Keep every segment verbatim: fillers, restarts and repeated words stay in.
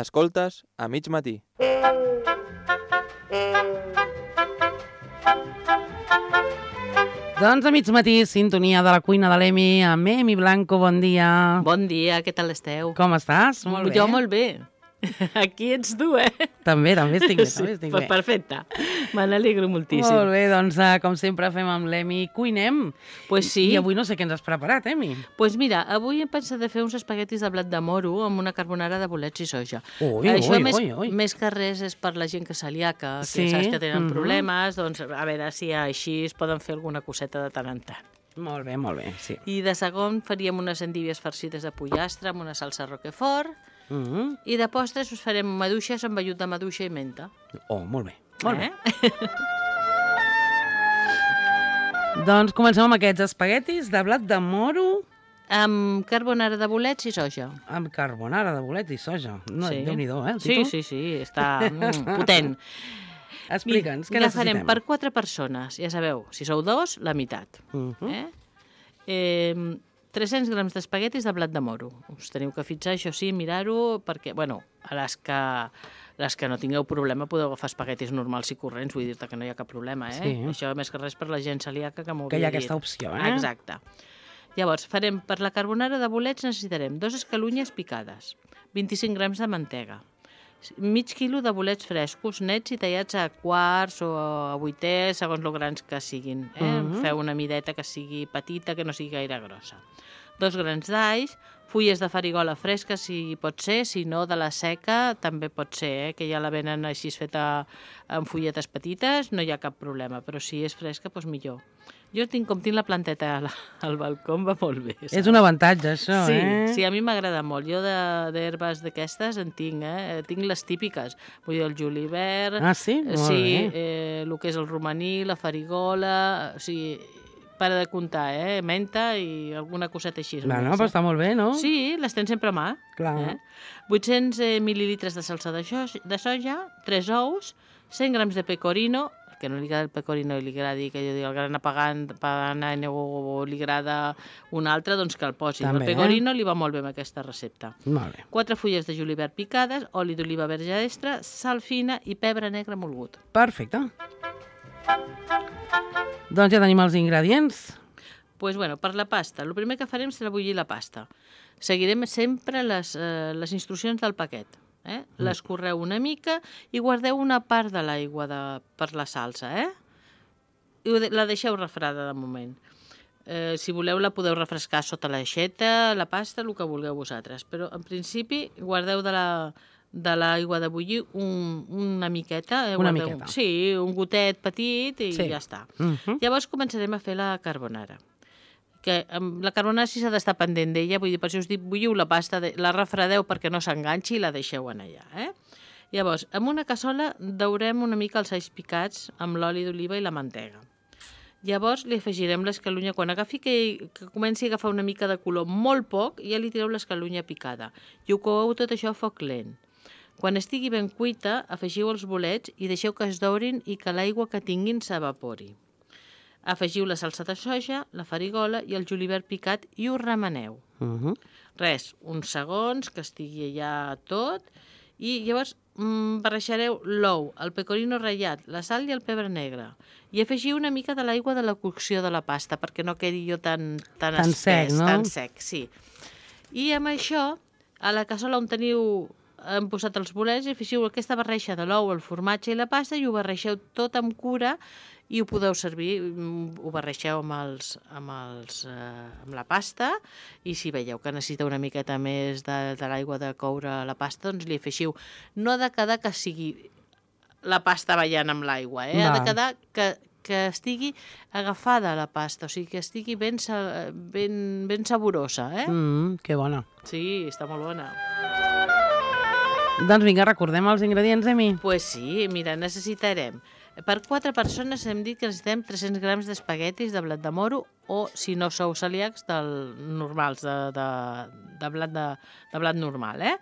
Escoltes a mig matí. Doncs a mig matí, sintonia de la cuina de l'Emi amb Emi Blanco, bon dia. Bon dia, què tal esteu? Com estàs? Molt bé. Jo molt bé. Aquí ets tu, eh? També, també estic bé, Sí, també estic pues bé. perfecte, me n'alegro moltíssim. Molt bé, doncs uh, com sempre fem amb l'Emi, cuinem. Pues sí. I avui no sé què ens has preparat, Emi. Pues mira, avui he pensat de fer uns espaguetis de blat de moro amb una carbonara de bolets i soja. Ui, Això ui, més, ui, ui. més que res és per la gent que és celíaca, que Sí, saps que tenen mhm. problemes, doncs a veure si així es poden fer alguna coseta de tant en tant. Molt bé, molt bé, sí. I de segon faríem unes endívies farcides de pollastre amb una salsa roquefort. Mm -hmm. I de postres us farem maduixes amb vellut de maduixa i menta. Oh, molt bé, molt eh? bé. Doncs comencem amb aquests espaguetis de blat de moro Amb carbonara de bolets i soja. amb carbonara de bolets i soja. No, Sí. Déu-n'hi-do, eh, el Sí, títol? sí, sí, està mm, potent. Explica'ns, què ja necessitem? farem per quatre persones. Ja sabeu, si sou dos, la meitat. Uh -huh. eh? Eh, tres-cents grams d'espaguetis de blat de moro. Us teniu que fixar, això sí, mirar-ho, perquè, bueno, a les que, les que no tingueu problema podeu agafar espaguetis normals i corrents, vull dir-te que no hi ha cap problema, eh? Sí. Això més que res per la gent celíaca que m'ho Que hi ha havia aquesta dit. opció, eh? Exacte. Llavors, farem per la carbonara de bolets necessitarem dos escalunyes picades, vint-i-cinc grams de mantega, mig quilo de bolets frescos, nets i tallats a quarts o a vuiters, segons lo grans que siguin. Eh? Mhm. Feu una mideta que sigui petita, que no sigui gaire grossa. Dos grans d'alls, fulles de farigola fresca, si pot ser, si no, de la seca també pot ser, eh? Que ja la venen així feta amb fulletes petites, no hi ha cap problema, però si és fresca, doncs millor. Jo tinc, com tinc la planteta al, al balcó, em va molt bé. És un avantatge, això, Sí, eh? sí, a mi m'agrada molt. Jo d'herbes d'aquestes en tinc, eh? Tinc les típiques. Vull dir, el julivert... Ah, sí? Molt sí, bé. eh, el que és el romaní, la farigola... O sigui, para de comptar, eh? Menta i alguna coseta així. No, no, més, però eh? està molt bé, no? Sí, les tens sempre a mà. Clar. Eh? vuit-cents eh, mil·lilitres de salsa de, soja, de soja, tres ous, cent grams de pecorino, que no li agrada el pecorino i li agradi, que jo dic, el gran apagant, apagant o li agrada un altre, doncs que el posi. També, el pecorino li va molt bé amb aquesta recepta. Molt bé. Quatre fulles de julivert picades, oli d'oliva verge extra, sal fina i pebre negre molgut. Perfecte. Doncs ja tenim els ingredients. Pues bueno, per la pasta, el primer que farem serà bullir la pasta. Seguirem sempre les, eh, les instruccions del paquet. Eh? L'escorreu una mica i guardeu una part de l'aigua de, per la salsa. Eh? I ho de, la deixeu refredar de moment. Eh, si voleu la podeu refrescar sota l'aixeta, la pasta, el que vulgueu vosaltres. Però en principi guardeu de la de l'aigua de bullir un, una miqueta. Eh? Una Guardeu, miqueta. Sí, un gotet petit i Sí. ja està. Uh -huh. Llavors començarem a fer la carbonara. Que amb la carbonara sí s'ha d'estar pendent d'ella, vull dir, per això us dic, bulliu la pasta, de, la refredeu perquè no s'enganxi i la deixeu en allà, eh? Llavors, amb una cassola daurem una mica els alls picats amb l'oli d'oliva i la mantega. Llavors li afegirem l'escalunya, quan agafi que, que comenci a agafar una mica de color, molt poc, ja li tireu l'escalunya picada. I ho coeu tot això a foc lent. Quan estigui ben cuita, afegiu els bolets i deixeu que es dourin i que l'aigua que tinguin s'evapori. Afegiu la salsa de soja, la farigola i el julivert picat i ho remeneu. Uh -huh. Res, uns segons, que estigui allà tot, i llavors mm, barrejareu l'ou, el pecorino ratllat, la sal i el pebre negre. I afegiu una mica de l'aigua de la cocció de la pasta, perquè no quedi jo tan, tan, Tan espès, sec, no? tan sec, sí. I amb això, a la cassola on teniu hem posat els bolets i afegiu aquesta barreja de l'ou, el formatge i la pasta i ho barregeu tot amb cura i ho podeu servir, ho barregeu amb, els, amb, els, eh, amb la pasta i si veieu que necessita una miqueta més de, de l'aigua de coure la pasta, doncs li afegiu. No ha de quedar que sigui la pasta ballant amb l'aigua, eh? Ha Va. de quedar que, que estigui agafada la pasta, o sigui, que estigui ben, sa- ben, ben saborosa, eh? Mm, que bona. Sí, està molt bona. Doncs vinga, recordem els ingredients, Emi. Pues sí, mira, necessitarem... Per quatre persones hem dit que necessitem tres-cents grams d'espaguetis de blat de moro o, si no sou celíacs, del normals, de, de, de, blat, de, de blat normal, eh?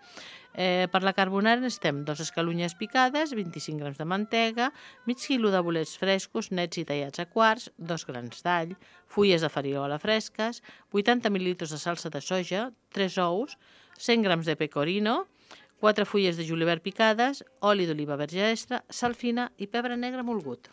Eh, per la carbonara necessitem dos escalunyes picades, vint-i-cinc grams de mantega, mig quilo de bolets frescos, nets i tallats a quarts, dos grans d'all, fulles de farigola fresques, vuitanta mil·lilitres de salsa de soja, tres ous, cent grams de pecorino, quatre fulles de julivert picades, oli d'oliva verge extra, sal fina i pebre negre molgut.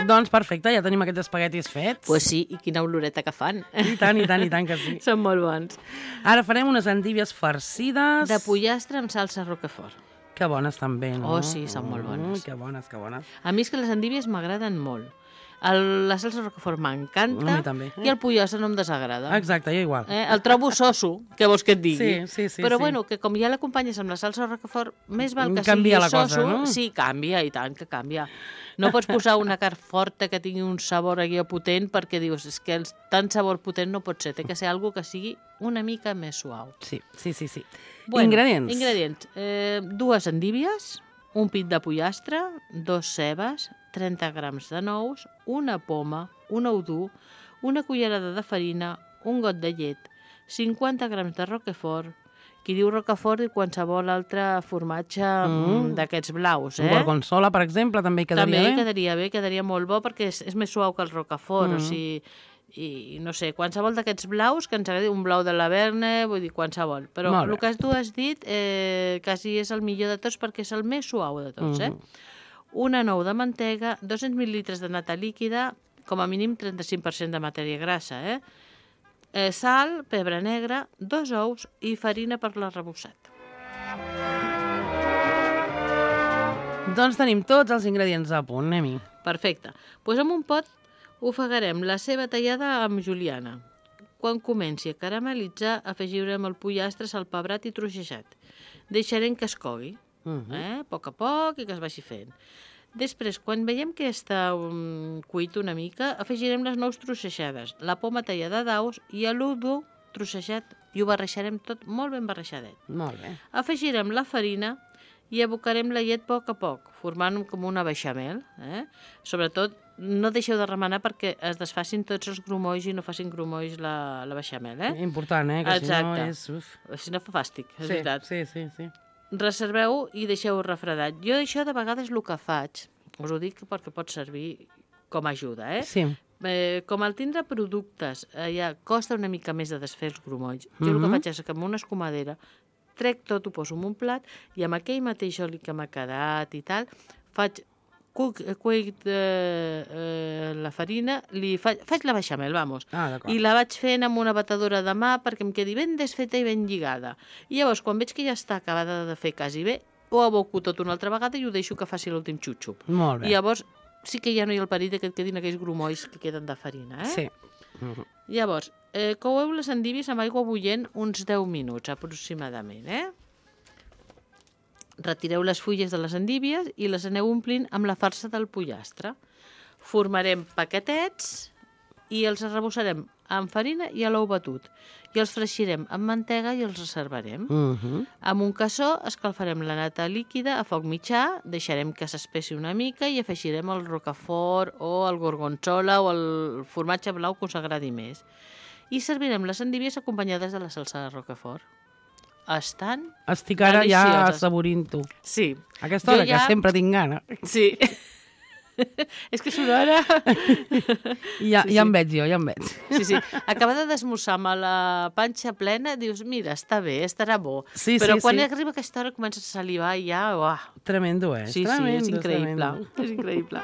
Doncs perfecte, ja tenim aquests espaguetis fets. Pues sí, i quina oloreta que fan. I tant, i tant, i tant que sí. Són molt bons. Ara farem unes endívies farcides. De pollastre amb salsa roquefort. Que bones també, no? Oh, sí, són molt bones. Mm, que bones, que bones. A mi és que les endívies m'agraden molt. El, la salsa roquefort m'encanta. A mi també. I el pollastre no em desagrada. Exacte, jo igual. Eh? El trobo soso, què vols que et digui? Sí, sí, sí. Però sí. bueno, que com ja l'acompanyes amb la salsa roquefort, més val que Canvia sigui la cosa, soso. no? Sí, canvia, i tant que canvia. No pots posar una carn forta que tingui un sabor aquí potent perquè dius, és que el, tant sabor potent no pot ser, té que ser algo que sigui una mica més suau. Sí, sí, sí. sí. Bueno, ingredients. Ingredients. Eh, dues endívies, un pit de pollastre, dos cebes, trenta grams de nous, una poma, un ou dur, una cullerada de farina, un got de llet, cinquanta grams de roquefort. Qui diu roquefort i qualsevol altre formatge mm. d'aquests blaus, eh? Un gorgonzola, per exemple, també quedaria també bé? També quedaria bé, quedaria molt bo perquè és, és més suau que el roquefort, mm. o sigui, i no sé, qualsevol d'aquests blaus, que ens agradi un blau de la Verne, vull dir, qualsevol. Però el que tu has dit eh, quasi és el millor de tots perquè és el més suau de tots, mm. eh? Una nou de mantega, dos-cents mil·lilitres de nata líquida, com a mínim trenta-cinc per cent de matèria grassa, eh? Eh, sal, pebre negre, dos ous i farina per l'arrebossat. Doncs tenim tots els ingredients a punt, Emi. Perfecte. Doncs pues en un pot ofegarem la ceba tallada amb juliana. Quan comenci a caramelitzar, afegirem el pollastre salpebrat i trossejat. Deixarem que es cogui, uh -huh. eh? a poc a poc, i que es vagi fent. Després, quan veiem que està um, cuit una mica, afegirem les nous trossejades, la poma tallada d'aus i l'udo trossejat, i ho barreixarem tot molt ben barreixadet. Molt bé. Afegirem la farina i abocarem la llet a poc a poc, formant com una beixamel. Eh? Sobretot, no deixeu de remenar perquè es desfacin tots els grumolls i no facin grumolls la, la beixamel. Eh? Important, eh? Que Exacte. Si no és... Uf. Si no fa fàstic, és sí, veritat. Sí, sí, sí. Reserveu i deixeu refredat. Jo això de vegades el que faig, us ho dic perquè pot servir com a ajuda, eh? Sí. Eh, com al tindre productes eh, ja costa una mica més de desfer els grumolls. Jo Mm-hmm. el que faig és que amb una escumadera trec tot, ho poso en un plat i amb aquell mateix oli que m'ha quedat i tal, faig cuc, cuec eh, eh, la farina, li faig, faig la beixamel, vamos, Ah, i la vaig fent amb una batedora de mà perquè em quedi ben desfeta i ben lligada. I llavors, quan veig que ja està acabada de fer quasi bé, ho aboco tot una altra vegada i ho deixo que faci l'últim xup-xup. Molt bé. I llavors sí que ja no hi ha el perill que et quedin aquells grumolls que queden de farina, eh? Sí. Uh-huh. Llavors, eh, coueu les endívies amb aigua bullent uns deu minuts aproximadament, eh? Retireu les fulles de les endívies i les aneu omplint amb la farsa del pollastre. Formarem paquetets i els arrebossarem amb farina i a l'ou batut. I els freixirem amb mantega i els reservarem. Uh-huh. Amb un cassó escalfarem la nata líquida a foc mitjà, deixarem que s'espessi una mica i afegirem el roquefort o el gorgonzola o el formatge blau que us agradi més. I servirem les endívies acompanyades de la salsa de roquefort. Estan Estic ara ja delicioses. assaborint-ho. Sí. A aquesta hora, Jo ja- que sempre tinc gana. Sí. És que és una hora... Ja, Sí, ja sí. em veig jo, ja em veig. Sí, sí. Acabada d'esmorzar amb la panxa plena, dius, mira, està bé, estarà bo. Sí, Però sí, quan sí. arriba aquesta hora comences a salivar i ja... Uah. Tremendo, eh? Sí, sí, Tremendo, és increïble. tremendo. És increïble.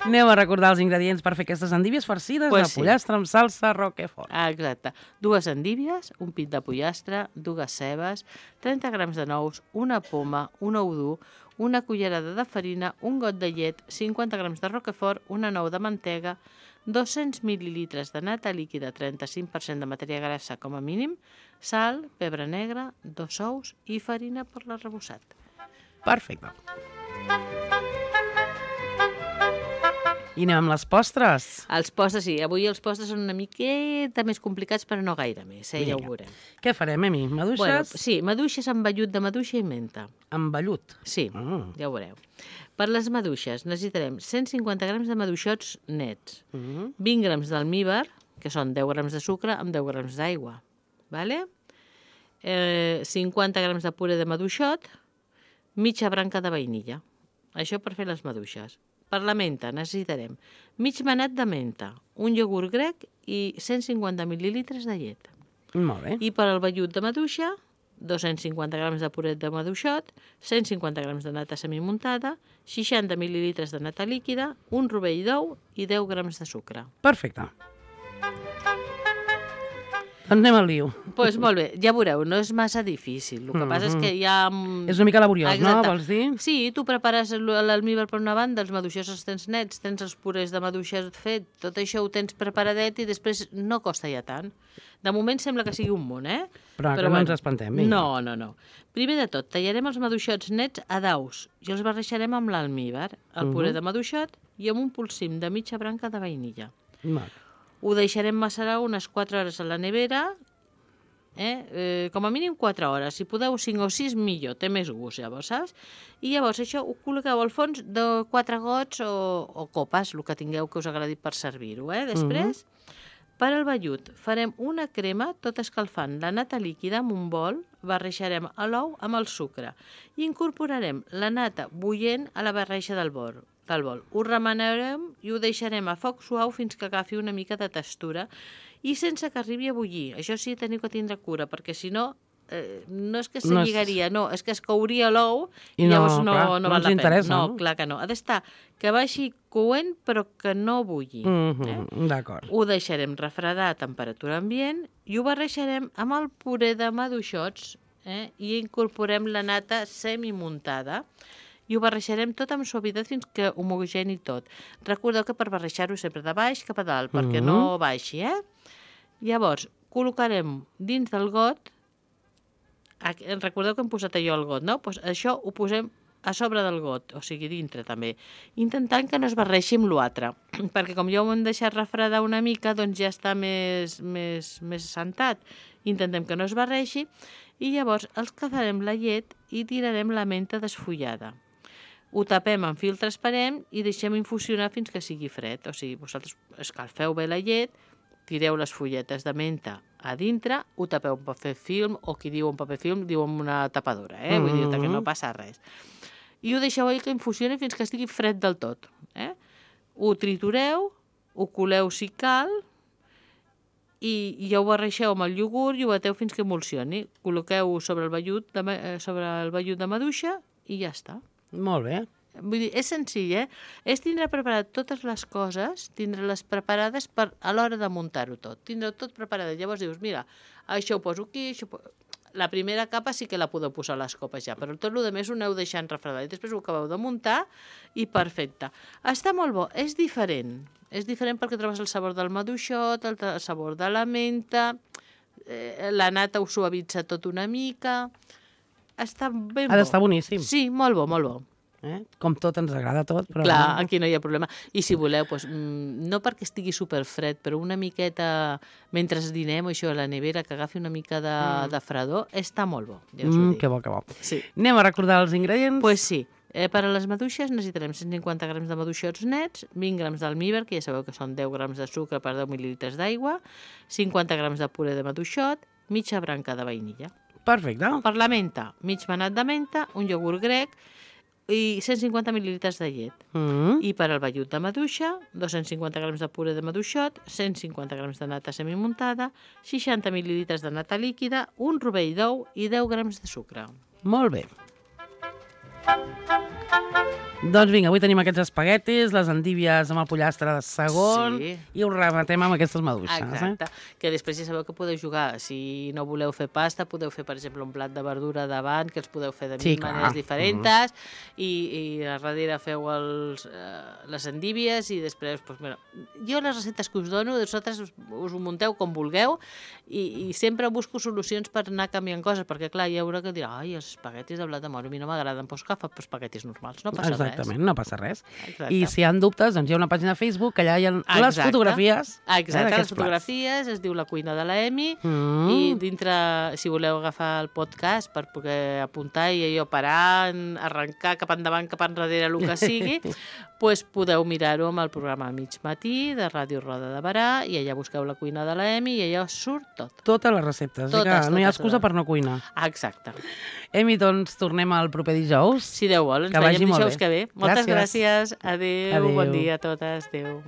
Aneu a recordar els ingredients per fer aquestes endívies farcides Pues de sí. pollastre amb salsa roquefort. Ah, exacte. Dues endívies, un pit de pollastre, dues cebes, trenta grams de nous, una poma, un ou dur, una cullerada de farina, un got de llet, cinquanta grams de roquefort, una nou de mantega, dos-cents mil·lilitres de nata líquida, trenta-cinc per cent de matèria grassa com a mínim, sal, pebre negre, dos ous i farina per l'arrebossat. Perfecte. I anem amb les postres. Els postres, sí. Avui els postres són una miqueta més complicats, però no gaire més, eh? Ja ho Vinga. veurem. Què farem, Emi? Maduixes Bueno, sí, maduixes amb vellut de maduixa i menta. amb vellut. Sí, Mm. ja ho veureu. Per les maduixes necessitarem cent cinquanta grams de maduixots nets, Mm. vint grams d'almíbar, que són deu grams de sucre amb deu grams d'aigua, vale? eh, cinquanta grams de puré de maduixot, mitja branca de vainilla. Això per fer les maduixes. Per la menta necessitarem mig manat de menta, un iogurt grec i cent cinquanta mil·lilitres de llet. Molt bé. I per al vellut de maduixa, dos-cents cinquanta grams de puret de maduixot, cent cinquanta grams de nata semimuntada, seixanta mil·lilitres de nata líquida, un rovell d'ou i deu grams de sucre. Perfecte. Doncs anem al lío. Doncs pues molt bé, ja veureu, no és massa difícil. El que mm-hmm. passa és que hi ha... És una mica laboriós, Exacte. No? Vols dir? Sí, tu prepares l'almíbar per una banda, els maduixers els tens nets, tens els purés de maduixes fet, tot això ho tens preparadet i després no costa ja tant. De moment sembla que sigui un munt, eh? Però, Però que no bueno, ens espantem. Vinga. No, no, no. Primer de tot, tallarem els maduixots nets a daus i els barrejarem amb l'almíbar, el puré uh-huh. de maduixot i amb un polsim de mitja branca de vainilla. Mal. Ho deixarem macerar unes quatre hores a la nevera, eh? Eh, com a mínim quatre hores. Si podeu cinc o sis, millor, té més gust, llavors, saps? I llavors això ho col·loqueu al fons de quatre gots o, o copes, el que tingueu que us agradi per servir-ho, eh? Després, uh-huh. per al vellut, farem una crema tot escalfant la nata líquida en un bol, barrejarem l'ou amb el sucre i incorporarem la nata bullent a la barreja del bol. del bol. Ho remenarem i ho deixarem a foc suau fins que agafi una mica de textura i sense que arribi a bullir. Això sí, teniu que tindre cura, perquè si no, eh, no és que se lligaria, no, és que es couria l'ou i, i llavors no, clar, no, no val la pena. No, no, clar que no. Ha d'estar que vagi coent però que no bulli. Mm-hmm, eh? D'acord. Ho deixarem refredar a temperatura ambient i ho barrejarem amb el puré de maduixots eh? i incorporem la nata semimuntada i ho barrejarem tot amb suavitat fins que homogeni tot. Recordeu que per barrejar-ho sempre de baix cap a dalt, mm-hmm. perquè no baixi, eh? Llavors, col·locarem dins del got, recordeu que hem posat allò al got, no? Pues això ho posem a sobre del got, o sigui, dintre també, intentant que no es barreixi amb l'altre, perquè com ja ho hem deixat refredar una mica, doncs ja està més, més, més assentat. Intentem que no es barreixi i llavors els cafarem la llet i tirarem la menta desfullada. Ho tapem amb fil transparent i deixem infusionar fins que sigui fred. O sigui, vosaltres escalfeu bé la llet, tireu les fulletes de menta a dintre, ho tapeu amb paper film, o qui diu un paper film diu amb una tapadora, eh? Vull dir que no passa res. I ho deixeu ahí que infusioni fins que estigui fred del tot. Eh? Ho tritureu, ho coleu si cal, i ja ho barreixeu amb el iogurt i ho bateu fins que emulsioni. Col·loqueu sobre el vellut de, sobre el vellut de maduixa i ja està. Molt bé. Vull dir, és senzill, eh? És tindre preparat totes les coses, tindre-les preparades per a l'hora de muntar-ho tot. Tindre tot preparat. Llavors dius, mira, això ho poso aquí, això ho poso... La primera capa sí que la podeu posar a les copes ja, però tot el més ho aneu deixant refredar i després ho acabeu de muntar i perfecte. Està molt bo, és diferent. És diferent perquè trobes el sabor del maduixot, el sabor de la menta, eh, la nata ho suavitza tot una mica... Està ben bo. Ha d'estar boníssim. Sí, molt bo, molt bo. Eh? Com tot, ens agrada tot. Però... Clar, aquí no hi ha problema. I si voleu, doncs, no perquè estigui superfred, però una miqueta, mentre dinem, això a la nevera, que agafi una mica de, mm. de fredor, està molt bo. Ja us ho mm, dic. que bo, que bo. Sí. Anem a recordar els ingredients? Doncs pues sí. Eh, per a les maduixes necessitarem cent cinquanta grams de maduixots nets, vint grams d'almíbar, que ja sabeu que són deu grams de sucre per deu mil·lilitres d'aigua, cinquanta grams de puré de maduixot, mitja branca de vainilla. Perfecte. Per la menta, mig manat de menta, un iogurt grec i cent cinquanta mil·lilitres de llet. Mm. I per al vellut de maduixa, dos-cents cinquanta grams de puré de maduixot, cent cinquanta grams de nata semimuntada, seixanta mil·lilitres de nata líquida, un rovell d'ou i deu grams de sucre. Molt bé. Doncs vinga, avui tenim aquests espaguetis, les endívies amb el pollastre de segon sí. i ho rematem amb aquestes maduixes. Exacte, eh? que després ja sabeu que podeu jugar. Si no voleu fer pasta, podeu fer, per exemple, un plat de verdura davant, que els podeu fer de sí, mil maneres diferents, mm-hmm. i, i a darrere feu els, eh, les endívies i després, doncs, mira, jo les receptes que us dono, vosaltres us, us ho munteu com vulgueu i, i sempre busco solucions per anar canviant coses, perquè clar, hi haurà que dir, ai, els espaguetis de blat de moro a mi no m'agraden, doncs que fa espaguetis normals, no passa Exactament, res. Exactament, no passa res. Exacte. I si hi ha dubtes, doncs hi ha una pàgina de Facebook que allà hi ha Exacte. les fotografies. Exacte, eh, les fotografies, plats. Es diu La cuina de la Emi, mm. i dintre, si voleu agafar el podcast per poder apuntar i allò parar, arrencar cap endavant, cap enrere, el que sigui, pues podeu mirar-ho amb el programa Mig Matí de Ràdio Roda de Berà i allà busqueu La cuina de la Emi i allà surt tot. Totes les receptes, totes, que no hi ha excusa totes. Per no cuinar. Exacte. Emi, doncs tornem el proper dijous. Si Déu vol, ens que veiem dijous bé. que ve. Moltes gràcies. gràcies. Adéu, Adéu, bon dia a totes. Adéu.